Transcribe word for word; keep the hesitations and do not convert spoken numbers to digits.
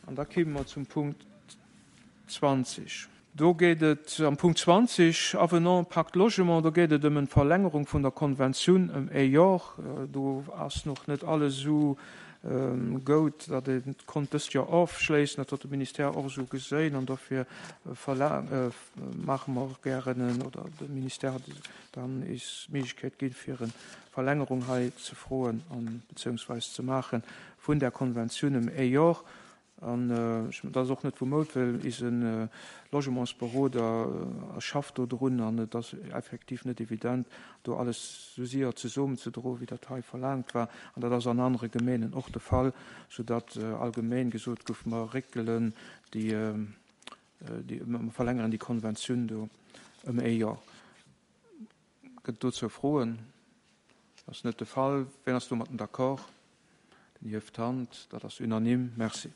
An da kéime mer zum Punkt zwanzeg. Do geet et am Punkt zwanzeg, Avenant Pacte Logement, do geet et ëm eng Verlängerung vun der Konventioun ëm ee Jor. Do ass nach net alles esou goud, datt ee konnt dëst Joer ofschléissen. Dat huet de Ministère och esou geséin an dofir maache mer och gären en, oder de Ministère hat dann eis d'Méiglechkeet ginn, fir eng Verlängerung hei ze froen an beziehungsweise ze maache vun där Konventioun ëm ee Jor. An dat ass och net vu Moud, well eise Logementsberoder schafft do drun an et ass effektiv net evident, do alles esou séier zesummenzedroen, wéi dat hei verlaangt war. An dat ass an anere Gemeenen och de Fall, soudatt allgemeng gesot gouf, mer réckelen déi, mer verlängeren déi Konventioun do ëm ee Joer. Gëtt et dozou Froen? Dat ass net de Fall. Wien ass domatten d'accord? Den hieft d'Hand. Dat ass unanime. Merci.